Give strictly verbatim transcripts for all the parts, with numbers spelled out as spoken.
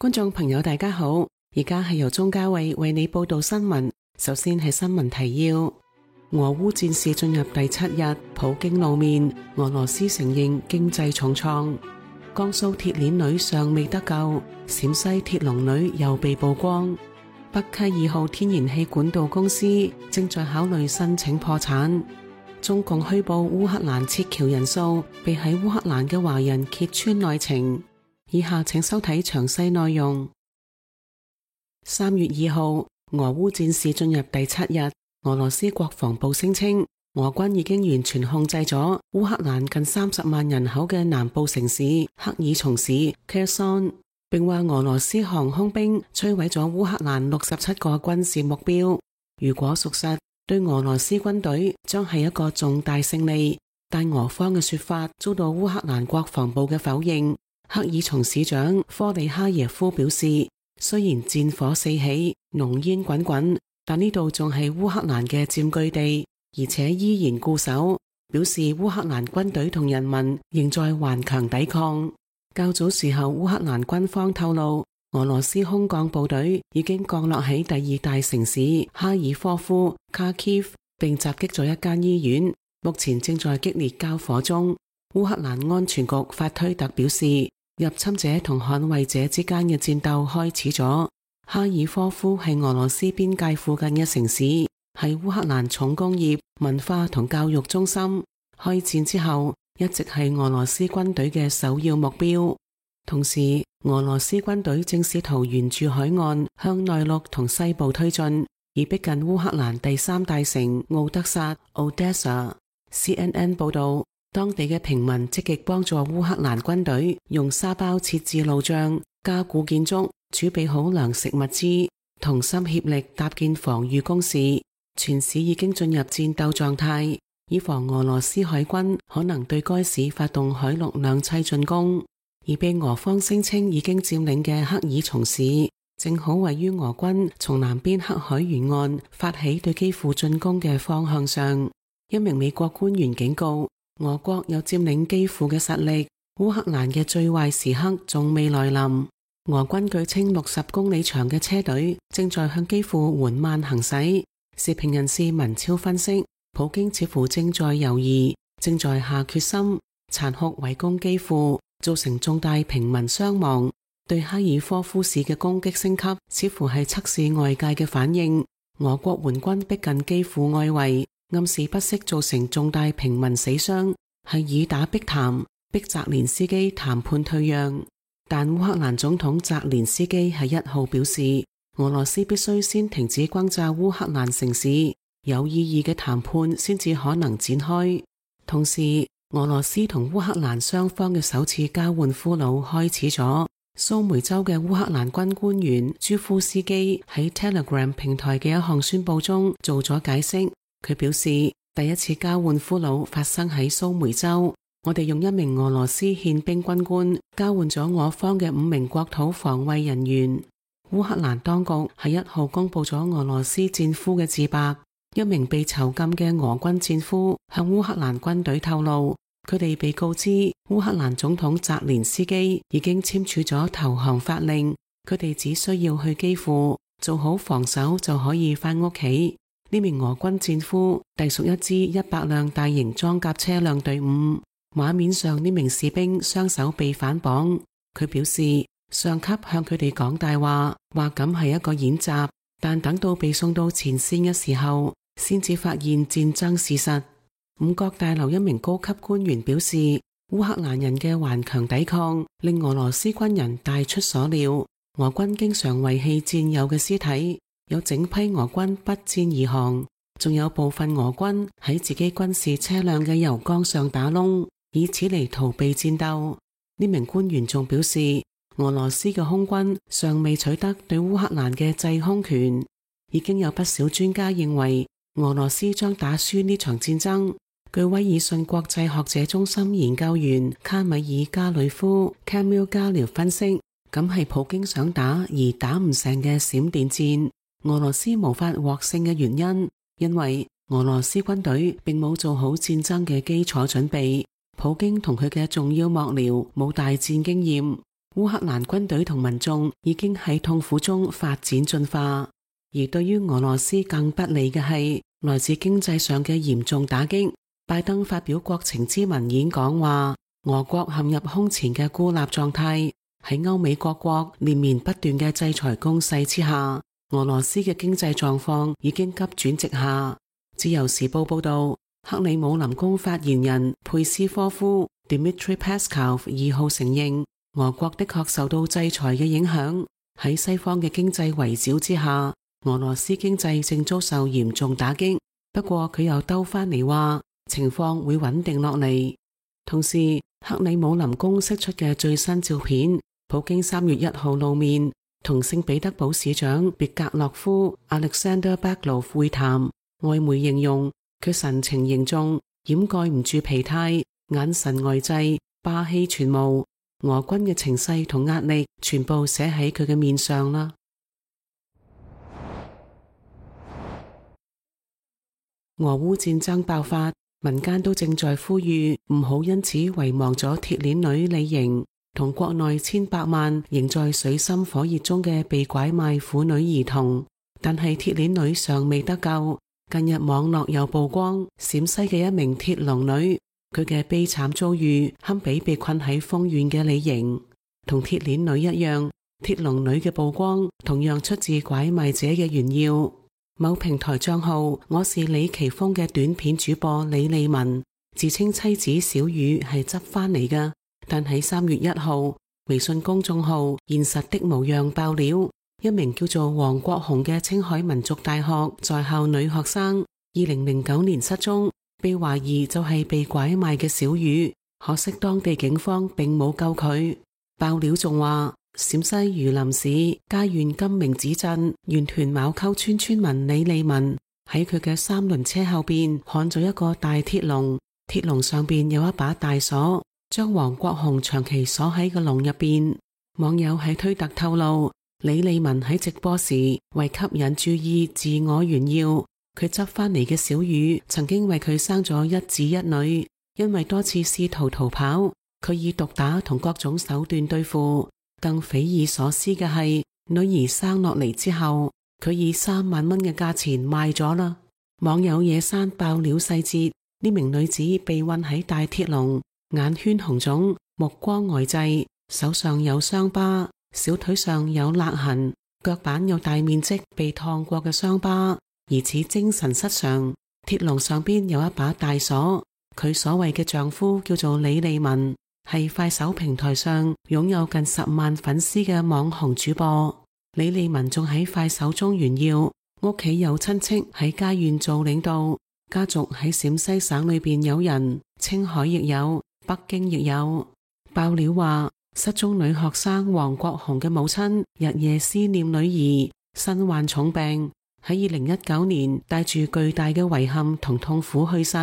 觀眾朋友大家好，而家係由鍾嘉慧為你報道新聞。首先係新聞提要：俄烏戰事進入第七日，普京露面，俄羅斯承認經濟重創。江蘇鐵鏈女尚未得救，陝西鐵籠女又被曝光。北溪二號天然氣管道公司正在考慮申請破產。中共虛報烏克蘭撤僑人數，被喺烏克蘭嘅華人揭穿內情。以下請收睇詳細內容。三月二號，俄烏戰事進入第七日，俄羅斯國防部聲稱，俄軍已經完全控制咗烏克蘭近三十萬人口嘅南部城市克爾松市 Kherson， 並話俄羅斯航空兵摧毀咗烏克蘭六十七個軍事目標。如果屬實，對俄羅斯軍隊將係一個重大勝利，但俄方嘅說法遭到烏克蘭國防部嘅否認。克爾松市長科里哈耶夫表示，雖然戰火四起，濃煙滾滾，但呢度仲係烏克蘭嘅佔據地，而且依然固守，表示烏克蘭軍隊同人民仍在頑強抵抗。較早時候，烏克蘭軍方透露，俄羅斯空降部隊已經降落喺第二大城市哈爾科夫 Kharkiv， 並襲擊咗一間醫院，目前正在激烈交火中。烏克蘭安全局發推特表示，入侵者同捍衛者之間嘅戰鬥開始咗。哈爾科夫係俄羅斯邊界附近嘅城市，係烏克蘭重工業、文化同教育中心。開戰之後，一直係俄羅斯軍隊嘅首要目標。同時，俄羅斯軍隊正試圖沿住海岸向內陸同西部推進，而逼近烏克蘭第三大城奧德薩 （Odessa）。C N N 報道，當地嘅平民積極幫助烏克蘭軍隊用沙包設置路障、加固建築、儲備好糧食物資，同心協力搭建防禦工事。全市已經進入戰鬥狀態，以防俄羅斯海軍可能對該市發動海陸兩棲進攻。而被俄方聲稱已經佔領嘅克爾松市，正好位於俄軍從南邊黑海沿岸發起對基輔進攻嘅方向上。一名美國官員警告，俄國有佔領基輔嘅實力，烏克蘭嘅最壞時刻仲未來臨。俄軍據稱六十公里長嘅車隊正在向基輔緩慢行駛。時評人士文超分析，普京似乎正在猶豫，正在下決心殘酷圍攻基輔，造成重大平民傷亡。對哈爾科夫市嘅攻擊升級，似乎係測試外界嘅反應。俄國援軍逼近基輔外圍，暗示不惜造成重大平民死傷，係以打逼談，逼澤連斯基談判退讓。但烏克蘭總統澤連斯基喺一號表示，俄羅斯必須先停止轟炸烏克蘭城市，有意義嘅談判先至可能展開。同時，俄羅斯同烏克蘭雙方嘅首次交換俘虜開始咗。蘇梅州嘅烏克蘭軍官員朱夫斯基喺 Telegram 平台嘅一項宣佈中做咗解釋。佢表示，第一次交換俘虜發生喺蘇梅州，我哋用一名俄羅斯憲兵軍官交換咗我方嘅五名國土防衛人員。烏克蘭當局喺一號公布咗俄羅斯戰俘嘅自白。一名被囚禁嘅俄軍戰俘向烏克蘭軍隊透露，佢哋被告知烏克蘭總統澤連斯基已經簽署咗投降法令，佢哋只需要去基輔做好防守就可以返屋企。呢名俄軍戰俘隸屬一支一百輛大型裝甲車輛隊伍。畫面上呢名士兵雙手被反綁，佢表示上級向佢哋講大話，話咁係一個演習，但等到被送到前線嘅時候，先至發現戰爭事實。五角大樓一名高級官員表示，烏克蘭人嘅頑強抵抗令俄羅斯軍人大出所料，俄軍經常遺棄戰友嘅屍體，有整批俄軍不戰而降，仲有部分俄軍喺自己軍事車輛嘅油缸上打窿，以此嚟逃避戰鬥。呢名官員仲表示，俄羅斯嘅空軍尚未取得對烏克蘭嘅制空權，已經有不少專家認為俄羅斯將打輸呢場戰爭。據威爾遜國際學者中心研究員卡米爾加里夫 Camille Galil 分析，咁係普京想打而打唔成嘅閃電戰。俄羅斯無法獲勝嘅原因，因為俄羅斯軍隊並冇做好戰爭嘅基礎準備，普京同佢嘅重要幕僚冇大戰經驗。烏克蘭軍隊同民眾已經喺痛苦中發展進化。而對於俄羅斯更不利嘅係來自經濟上嘅嚴重打擊。拜登發表國情咨文演講話，俄國陷入空前嘅孤立狀態。喺歐美各國連綿不斷嘅制裁攻勢之下，俄羅斯嘅經濟狀況已經急轉直下。自由時報報道，克里姆林宮發言人佩斯科夫 Dmitry Peskov 二號承認，俄國的確受到制裁嘅影響。喺西方嘅經濟圍剿之下，俄羅斯經濟正遭受嚴重打擊。不過佢又兜翻嚟話，情況會穩定落嚟。同時，克里姆林宮釋出嘅最新照片，普京三月一號露面同聖彼得堡市長別格洛夫 Alexander Baglov 會談，外媒形容佢神情凝重，掩蓋唔住疲態，眼神呆滯，霸氣全無。俄軍嘅情勢同壓力全部寫喺佢嘅面上啦。俄烏戰爭爆發，民間都正在呼籲唔好因此遺忘咗鐵鏈女李瑩同國內千百萬仍在水深火熱中嘅被拐賣婦女兒童。但係鐵鏈女尚未得救。近日網絡又曝光陝西嘅一名鐵籠女，佢嘅悲慘遭遇堪比被困喺豐縣嘅李瑩。同鐵鏈女一樣，鐵籠女嘅曝光同樣出自拐賣者嘅炫耀。某平台賬號我是李奇峰嘅短片主播李利文自稱妻子小雨係執翻嚟㗎，但喺三月一號微信公眾號現實的模樣爆料，一名叫做黃國雄嘅青海民族大學在校女學生二零零九年失蹤，被懷疑就係被拐賣嘅小雨，可惜當地警方並冇救佢。爆料仲話，陝西榆林市佳縣金明子鎮源屯茅溝村村民李利文喺佢嘅三輪車後邊看咗一個大鐵籠，鐵籠上邊有一把大鎖，將黃國雄長期鎖喺個籠入邊。網友喺推特透露，李利文喺直播時為吸引注意自我炫耀，佢執翻嚟嘅小雨曾經為佢生咗一子一女，因為多次試圖逃跑，佢以毒打同各種手段對付。更匪夷所思嘅係，女兒生落嚟之後，佢以三萬蚊嘅價錢賣咗啦。網友野山爆料細節，呢名女子被困喺大鐵籠，眼圈紅腫，目光呆滯，手上有傷疤，小腿上有勒痕，腳板有大面積被燙過嘅傷疤，疑似精神失常。鐵籠上邊有一把大鎖，佢所謂嘅丈夫叫做李利文，係快手平台上擁有近十萬粉絲嘅網紅主播。李利文仲喺快手中炫耀，屋企有親戚喺佳縣做領導，家族喺陝西省裏邊有人，青海亦有，北京亦有。爆料話，失蹤女學生黃國雄嘅母親日夜思念女兒，身患重病，喺二零一九年帶住巨大嘅遺憾同痛苦去世。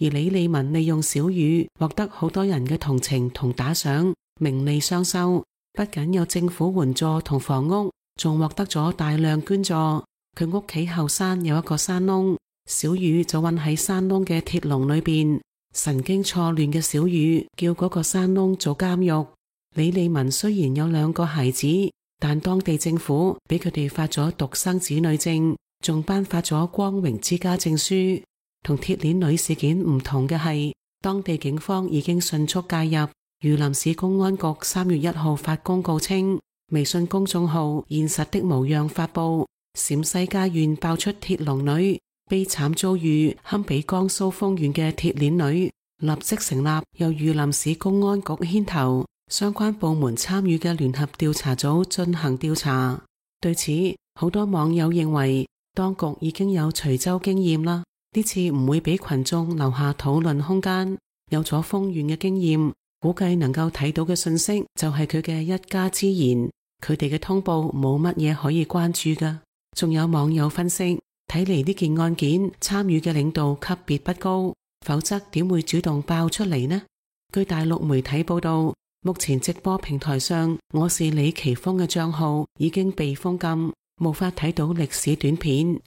而李利文利用小雨獲得好多人嘅同情同打賞，名利雙收，不僅有政府援助同房屋，仲獲得咗大量捐助。佢屋企後山有一個山窿，小雨就困喺山窿嘅鐵籠裏邊。神經錯亂嘅小雨叫嗰個山窿做監獄。李利文雖然有兩個孩子，但當地政府俾佢哋發咗獨生子女證，仲頒發咗光榮之家證書。同鐵鏈女事件唔同嘅係，當地警方已經迅速介入。榆林市公安局三月一號發公告稱，微信公眾號現實的模樣發布，陝西佳縣爆出鐵籠女悲慘遭遇，堪比江蘇豐縣嘅鐵鏈女，立即成立由榆林市公安局牽頭，相關部門參與嘅聯合調查組進行調查。對此，好多網友認為當局已經有徐州經驗啦。呢次唔會俾群眾留下討論空間，有咗豐縣嘅經驗，估計能夠睇到嘅信息就係佢嘅一家之言，佢哋嘅通報冇乜嘢可以關注㗎。仲有網友分析，睇嚟呢件案件參與嘅領導級別不高，否則點會主動爆出嚟呢？據大陸媒體報道，目前直播平台上我是李奇峰嘅賬號已經被封禁，無法睇到歷史短片。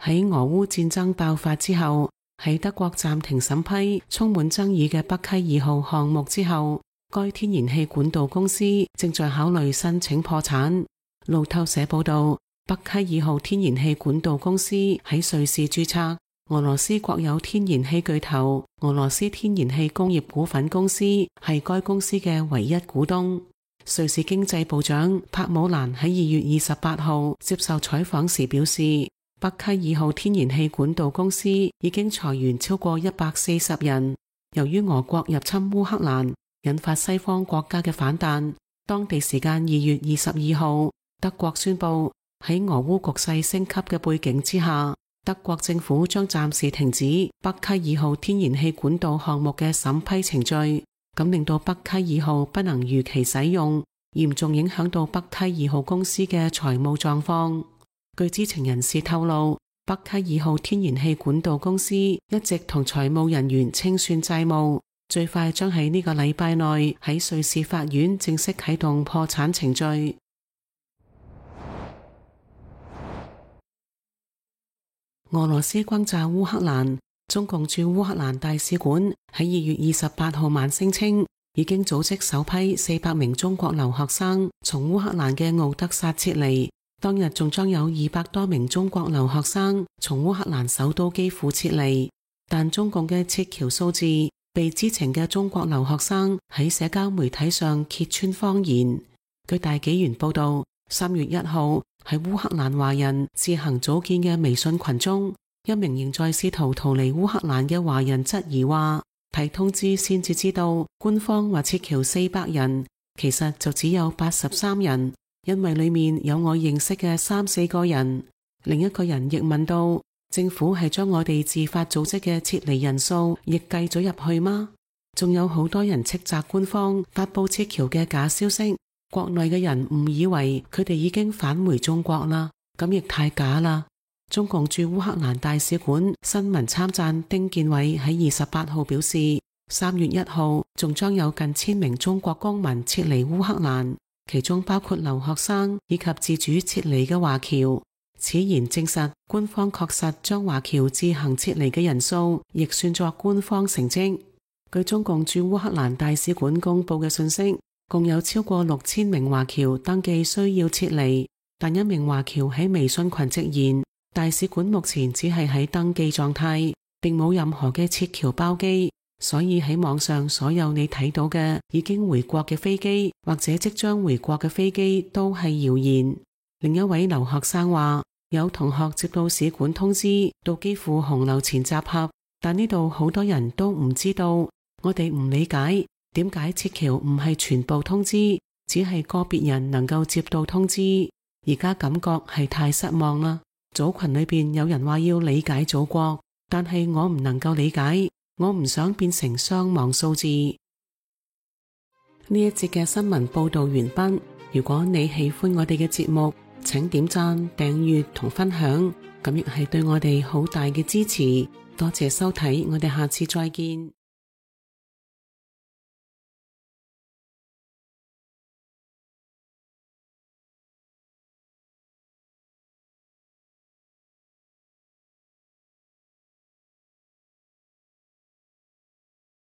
喺俄烏戰爭爆發之後，喺德國暫停審批充滿爭議嘅北溪二號項目之後，該天然氣管道公司正在考慮申請破產。路透社報道，北溪二號天然氣管道公司喺瑞士註冊，俄羅斯國有天然氣巨頭俄羅斯天然氣工業股份公司係該公司嘅唯一股東。瑞士經濟部長帕姆蘭喺二月二十八號接受採訪時表示，北溪二號天然氣管道公司已經裁員超過一百四十人。由於俄國入侵烏克蘭，引發西方國家嘅反彈，當地時間二月二十二號，德國宣布喺俄烏局勢升級嘅背景之下，德國政府將暫時停止北溪二號天然氣管道項目嘅審批程序，咁令到北溪二號不能如期使用，嚴重影響到北溪二號公司嘅財務狀況。據知情人士透露，北溪二號天然氣管道公司一直同財務人員清算債務，最快將喺呢個禮拜內喺瑞士法院正式啟動破產程序。俄羅斯轟炸烏克蘭，中共駐烏克蘭大使館喺二月二十八號晚聲稱，已經組織首批四百名中國留學生從烏克蘭嘅敖德薩撤離。當日仲將有二百多名中國留學生從烏克蘭首都基輔撤離，但中共嘅撤僑數字被知情嘅中國留學生喺社交媒體上揭穿謊言。據大紀元報道，三月一號喺烏克蘭華人自行組建嘅微信群中，一名仍在試圖逃離烏克蘭嘅華人質疑話，睇通知先至知道官方話撤僑四百人，其實就只有八十三人。因為裏面有我認識嘅三四個人。另一個人亦問到，政府係將我哋自發組織嘅撤離人數亦計咗入去嗎？仲有好多人斥責官方發佈撤僑嘅假消息，國內嘅人誤以為佢哋已經返回中國啦，咁亦太假啦。中共駐烏克蘭大使館新聞參贊丁建偉喺二十八號表示，三月一號仲將有近千名中國公民撤離烏克蘭，其中包括留學生以及自主撤離嘅華僑。此言證實官方確實將華僑自行撤離嘅人數亦算作官方成績。據中共駐烏克蘭大使館公布嘅信息，共有超過六千名華僑登記需要撤離，但一名華僑喺微信群直言，大使館目前只係喺登記狀態，並冇任何嘅撤僑包機。所以喺網上所有你睇到嘅已經回國嘅飛機或者即將回國嘅飛機都係謠言。另一位留學生話，有同學接到使館通知到基輔紅樓前集合，但呢度好多人都唔知道。我哋唔理解點解撤僑唔係全部通知，只係個別人能夠接到通知。而家感覺係太失望啦。組群裏邊有人話要理解祖國，但係我唔能夠理解。我唔想變成傷亡數字。呢一節嘅新聞報道完畢。如果你喜歡我哋嘅節目，請點讚、訂閱同分享，咁亦係對我哋好大嘅支持。多謝收睇，我哋下次再見。